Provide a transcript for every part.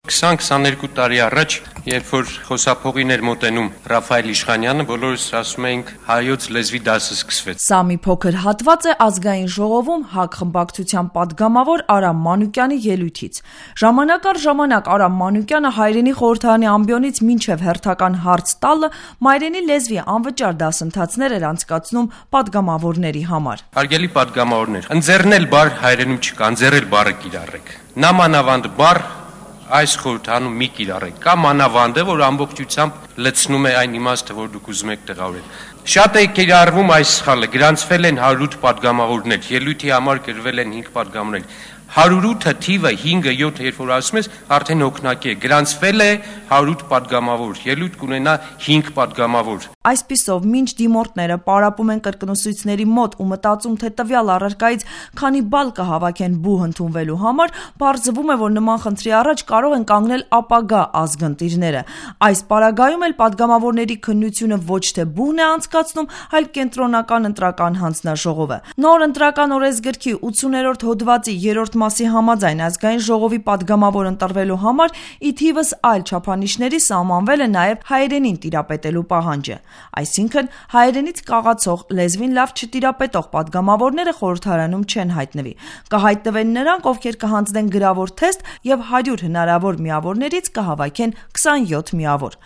20-22 տարի առաջ, երբ որ խոսափողին էր մոտենում Ռաֆայել Իշխանյանը, բոլորս ասում էինք հայոց լեզվի դասը սկսվեց։ Սա մի փոքր հատված է ազգային ժողովում ՀԱԿ խմբակցության պատգամավոր Արամ Մանուկյանի ելույթից։ Ժամանակ առ ժամանակ Արամ Մանուկյանը հայրենի խորհրդարանի ամբիոնից մինչև հերթական հարց տալը մայրենի լեզվի անվճար դասընթացներ էր անցկացնում պատգամավորների համար։ Հարգելի պատգամավորներ, ընձեռնել բառ հայրենում չկա, ընձեռել բառը կիրառեք։ Նամանավանդ բառ այս խորհրդանում մի կիրառեք, կա մանավանդը, որ ամբողջությամբ լցնում է այն իմաստը, որ դուք ուզում եք տղավարել։ Շատ է կիրառվում այս սխալը, գրանցվել են 108 պատգամավորներ, ելույթի համար գրվել են 5 պատգամավորներ։ 108-ը թիվը 5-ը 7-ը երբ որ ասում ես, արդեն հոգնակի է, գրանցվել է 108 պատգամավոր, ելույթ կունենա 5 պատգամավոր։ Այսպիսով, մինչ դիմորդները պարապում են կրկնուսույցների մոտ ու մտածում, թե տվյալ առարկայից քանի բալ կհավաքեն բուհ ընդունվելու համար, պարզվում է, որ նման խնդրի առաջ կարող են կանգնել ապագա ազգընտիրները։ Այս պարագայում էլ պատգամավորների քննությունը ոչ թե բուհն է անցկացնում, այլ կենտրոնական ընտրական հանձնաժողովը։ Նոր ընտրական օրենսգրքի 80-րդ հոդվածի 3-րդ մասի համաձայն ազգային ժողովի պատգամավոր ընտրվելու համար ի թիվս այլ չափանիշների սահմանվել է նաև հայերենին տիրապետելու պահանջը։ Այսինքն հայերենից կաղացող լեզվին լավ չտիրապետող պատգամավորները խորհրդարանում չեն հայտնվի։ Կհայտնվեն նրանք, ովքեր կհանձնեն գրավոր թեստ եւ 100 հնարավոր միավորներից կհավաքեն 27 միավոր։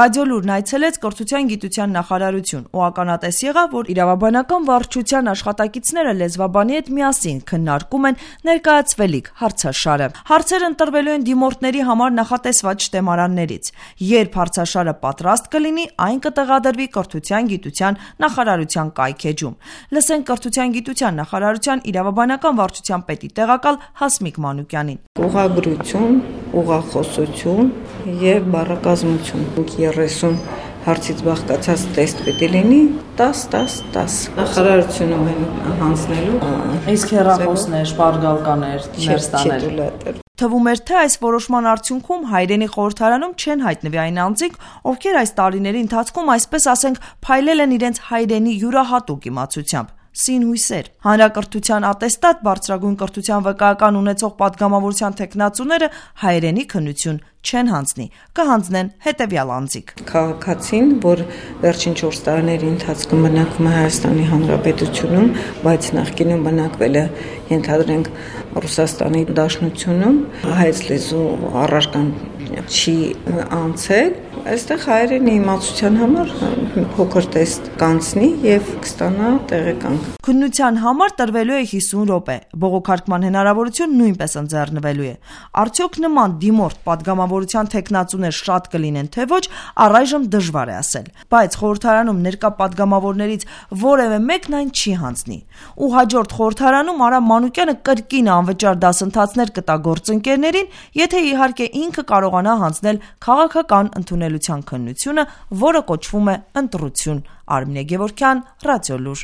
Ռադիոլուրն այցելեց կրթության գիտության նախարարություն ու ականատես եղավ, որ իրավաբանական վարչության աշխատակիցները լեզվաբանի հետ միասին քննարկում են ներկայացվելիք հարցաշարը։ Հարցերը ընտրվելու են դիմորդների համար նախատեսված շտեմարաններից։ Երբ հարցաշարը պատրաստ կլինի, այն կտեղադրվի կրթության գիտության նախարարության կայքեջում։ Լսենք կրթության գիտության նախարարության իրավաբանական վարչության պետի տեղակալ Հասմիկ Մանուկյանին։ Ուղղագրություն, ուղղախոսություն եւ բառակազմություն 30 հարցից բաղկացած տեստ պետք է լինի 10-10-10 նախարարությունում են հանձնելու իսկ հեռախոսներ, շպարգալկաներ ներստանել Թվում էր, թե այս որոշման արդյունքում հայրենի խորհրդարանում չեն հայտնվի այն անձինք, ովքեր այս տարիների ընթացքում, այսպես ասենք, փայլել են իրենց հայրենի յուրահատուկ իմացությամբ։ Սին հույսեր։ Հանրակրթության ատեստատ բարձրագույն կրթության վկայական ունեցող պատգամավորության թեկնածուները հայրենի քննություն չեն հանձնի, կհանձնեն հետևյալ անձիկ։ Քաղաքացին, որ վերջին 4 տարիների ընթացքում բնակվում է Հայաստանի Հանրապետությունում, բայց նախկինում բնակվել է, ենթադրենք, Ռուսաստանի Դաշնությունում, հայց լեզու առարկան չի անցել, այստեղ հայրենի իմացության համար փոքր տեստ կանցնի եւ կստանա տեղեկանք։ Քննության համար տրվելու է 50 րոպե, բողոքարկման հնարավորություն նույնպես ընձեռնվելու է։ Արդյոք նման դիմորդ պատգամավորության թեկնածուներ շատ կլինեն, թե ոչ, առայժմ դժվար է ասել, բայց խորհրդարանում ներկա պատգամավորներից որևէ մեկն այն չի հանձնի։ Ու հաջորդ խորհրդարանում Արամ Մանուկյանը կրկին անվճար դասընթացներ կտա գործընկերներին, եթե իհարկե ինքը կարողանա հանձնել քաղաքական ընդունելության քննությունը, որը կոչվում է ընտրություն։ Արմինե Գևորգյան, Ռադիոլուր։